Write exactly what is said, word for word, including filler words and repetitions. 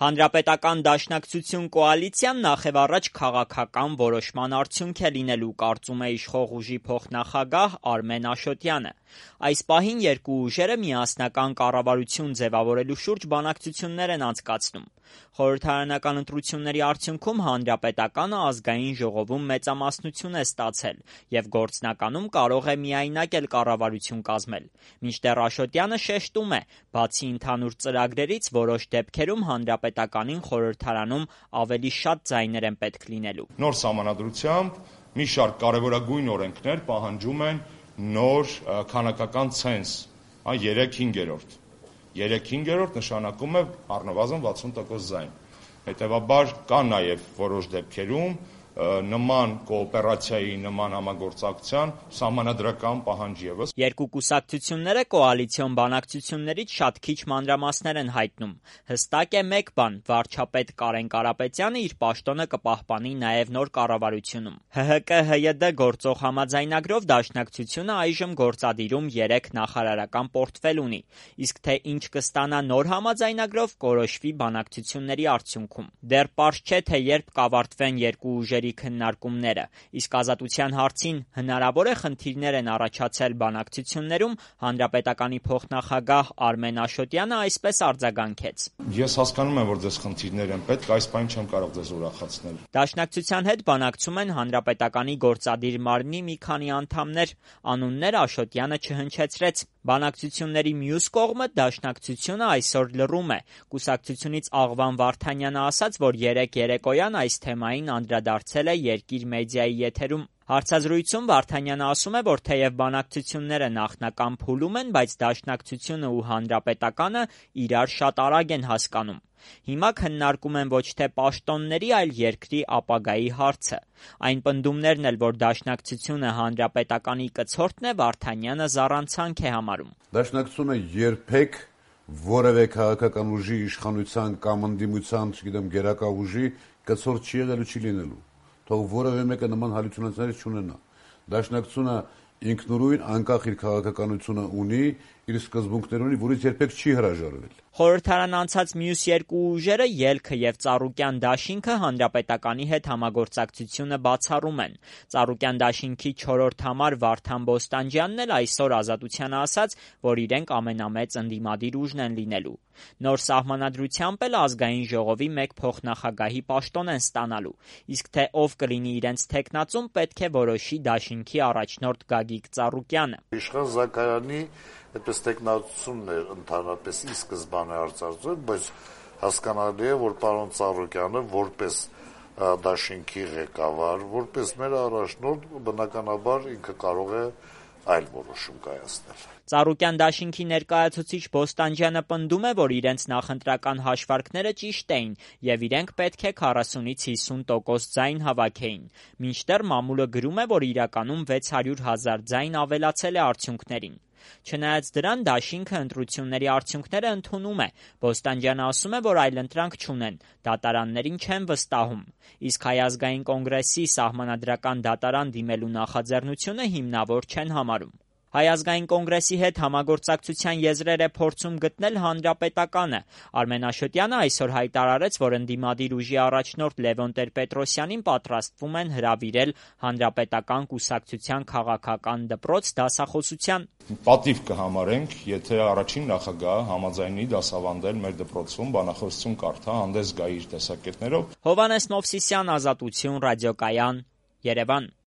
Հանրապետական դաշնակցություն կոալիցիան նախևառաջ քաղաքական որոշման արդյունք է լինելու, կարծում է իշխող ուժի փոխնախագահ Արմեն Աշոտյանը։ Այս պահին երկու ուժերը միասնական կառավարություն ձևավորելու շուրջ բանակցություններ են անցկացնում։ Խորհրդարանական ընտրությունների արդյունքում Հանրապետականը ազգային ժողովում մեծամասնություն է ստացել և գործնականում կարող է միայնակ էլ կառավարություն կազմել։ Մինչդեռ Աշոտյանը շեշտում է, բացի ընդհանուր ծրագրերից, որոշ դեպքերում Հանրապետականին խորհրդարանում ավելի շատ ձայներ են պետք լինելու։ Նոր սահմանադրությամբ մի շարք կարևորագույն օրենքներ պահանջում են նոր քանակական ցենզ, երեք հինգերորդ։ Երեք հինգերորդ նշանակում է առնվազն վաթսուն տոկոս ձայն։ Հետևաբար կա նաև որոշ դեպքերում նման կոոպերացիայի, նման համագործակցության սահմանադրական պահանջ ևս։ Երկու կուսակցությունները կոալիցիոն բանակցություններից շատ քիչ մանրամասներ են հայտնում։ Հստակ է մեկ բան՝ վարչապետ Կարեն Կարապետյանը իր պաշտոնը կպահպանի նաև նոր կառավարությունում։ ՀՀԿ ՀՅԴ գործող համաձայնագրով դաշնակցությունը այժմ գործադիրում երեք նախարարական պորտֆել ունի, իսկ թե ինչ կստանա նոր համաձայնագրով, կորոշվի բանակցությունների արդյունքում։ Դեռ պարզ չէ, թե երբ կավարտվեն երկու ուժերի քննարկումները, իսկ ազատության հարցին հնարավոր է խնդիրներ են առաջացել բանակցություններում, Հանրապետականի փոխնախագահ Արմեն Աշոտյանը այսպես արձագանքեց. Ես հասկանում եմ, որ ձեզ խնդիրներ են պետք, այս պահին չեմ կարող ձեզ ուրախացնել։ Դաշնակցության հետ բանակցում են Հանրապետականի գործադիր մարմնի մի քանի անդամներ, անուններ Աշոտյանը չհնչեցրեց։ Բանակցությունների մյուս կողմը դաշնակցությունը այսօր լռում է։ Կուսակցությունից Աղվան Վարդանյանը ասաց, որ երեկ երեկոյան այս թեմային անդրադարձել է Երկիր մեդիայի եթերում։ Հարցազրույցում Վարդանյանը ասում է, որ թեև բանակցությունները նախնական փուլում են, բայց դաշնակցությունը ու Հանրապետականը իրար շատ արագ են հասկանում։ Հիմա քննարկում են ոչ թե պաշտոնների, այլ երկրի ապագայի հարցը։ Այն պնդումներն էլ, որ դաշնակցությունը Հանրապետականի կցորդն է, Վարդանյանը զառանցանք է համարում։ Դաշնակցությունը երբեք որևէ քաղաքական ուժի իշխանության կամ ընդդիմության, չգիտեմ, գերակա ուժի կցորդ չի եղել ու չի լինելու։ Թող որևէ մեկը նման հալուցություններ չունենա։ Դաշնակցությունը ինքնուրույն անկախ իր քաղաքականությունը ունի, իր սկզբունքներ ունի, որից երբեք չի հրաժարվել։ Խորհրդարան անցած մյուս երկու ուժերը՝ Ելքը և Ծառուկյան դաշինքը, Հանրապետականի հետ համագործակցությունը բացառում են։ Ծառուկյան դաշինքի չորրորդ համար Վարդան Բոստանջյանն էլ այսօր Ազատությանը ասաց, որ իրենք ամենամեծ ընդդիմադիր ուժն են լինելու։ Նոր սահմանադրությամբ էլ ազգային ժողովի մեկ փոխնախագահի պաշտոն են ստանալու, իսկ թե ով կլինի իրենց թեկնածուն, պետք է որոշի դաշինքի առաջնորդ Գագիկ Ծառուկյանը։ Իշխան Զաքարյանի այդպես տեխնացությունն էր ընդհանրապես ի սկզբանե արծարծել, բայց հասկանալի է, որ պարոն Ծառուկյանը որպես դաշինքի ղեկավար, որպես մեր առաջնորդ, բնականաբար ինքը կարող է այլ որոշում կայացնել։ Ծառուկյան դաշինքի ներկայացուցիչ Բոստանջյանը պնդում է, որ իրենց նախընտրական հաշվարկները ճիշտ էին և իրենք պետք է քառասունից հիսուն տոկոս ձայն հավաքեին։ Մինչդեռ մամուլը գրում է, որ իրականում վեց հարյուր հազար ձայն ավելացել է արդյունքներին։ Չնայած դրան, դաշինքը ընտրությունների արդյունքները ընդունում է։ Բոստանջյանը ասում է, որ այլընտրանք չունեն, դատարաններին չեն վստահում, իսկ Հայ ազգային կոնգրեսի սահմանադրական դատարան դիմելու նախաձեռնությունը հիմնավոր չեն համարում։ Հայ ազգային կոնգրեսի հետ համագործակցության եզրեր է փորձում գտնել Հանրապետականը։ Արմեն Աշոտյանը այսօր հայտարարեց, որ ընդդիմադիր ուժի առաջնորդ Լևոն Տեր-Պետրոսյանին պատրաստվում են հրավիրել Հանրապետական կուսակցության քաղաքական դպրոց դասախոսության։ Պատիվ կհամարենք, եթե առաջին նախագահը համաձայնի դասավանդել մեր դպրոցում, բանախոսություն կարդա, հանդես գա իր տեսակետներով։ Հովհաննես Մովսիսյան, Ազատություն, Ռադիոկայան, Երևան։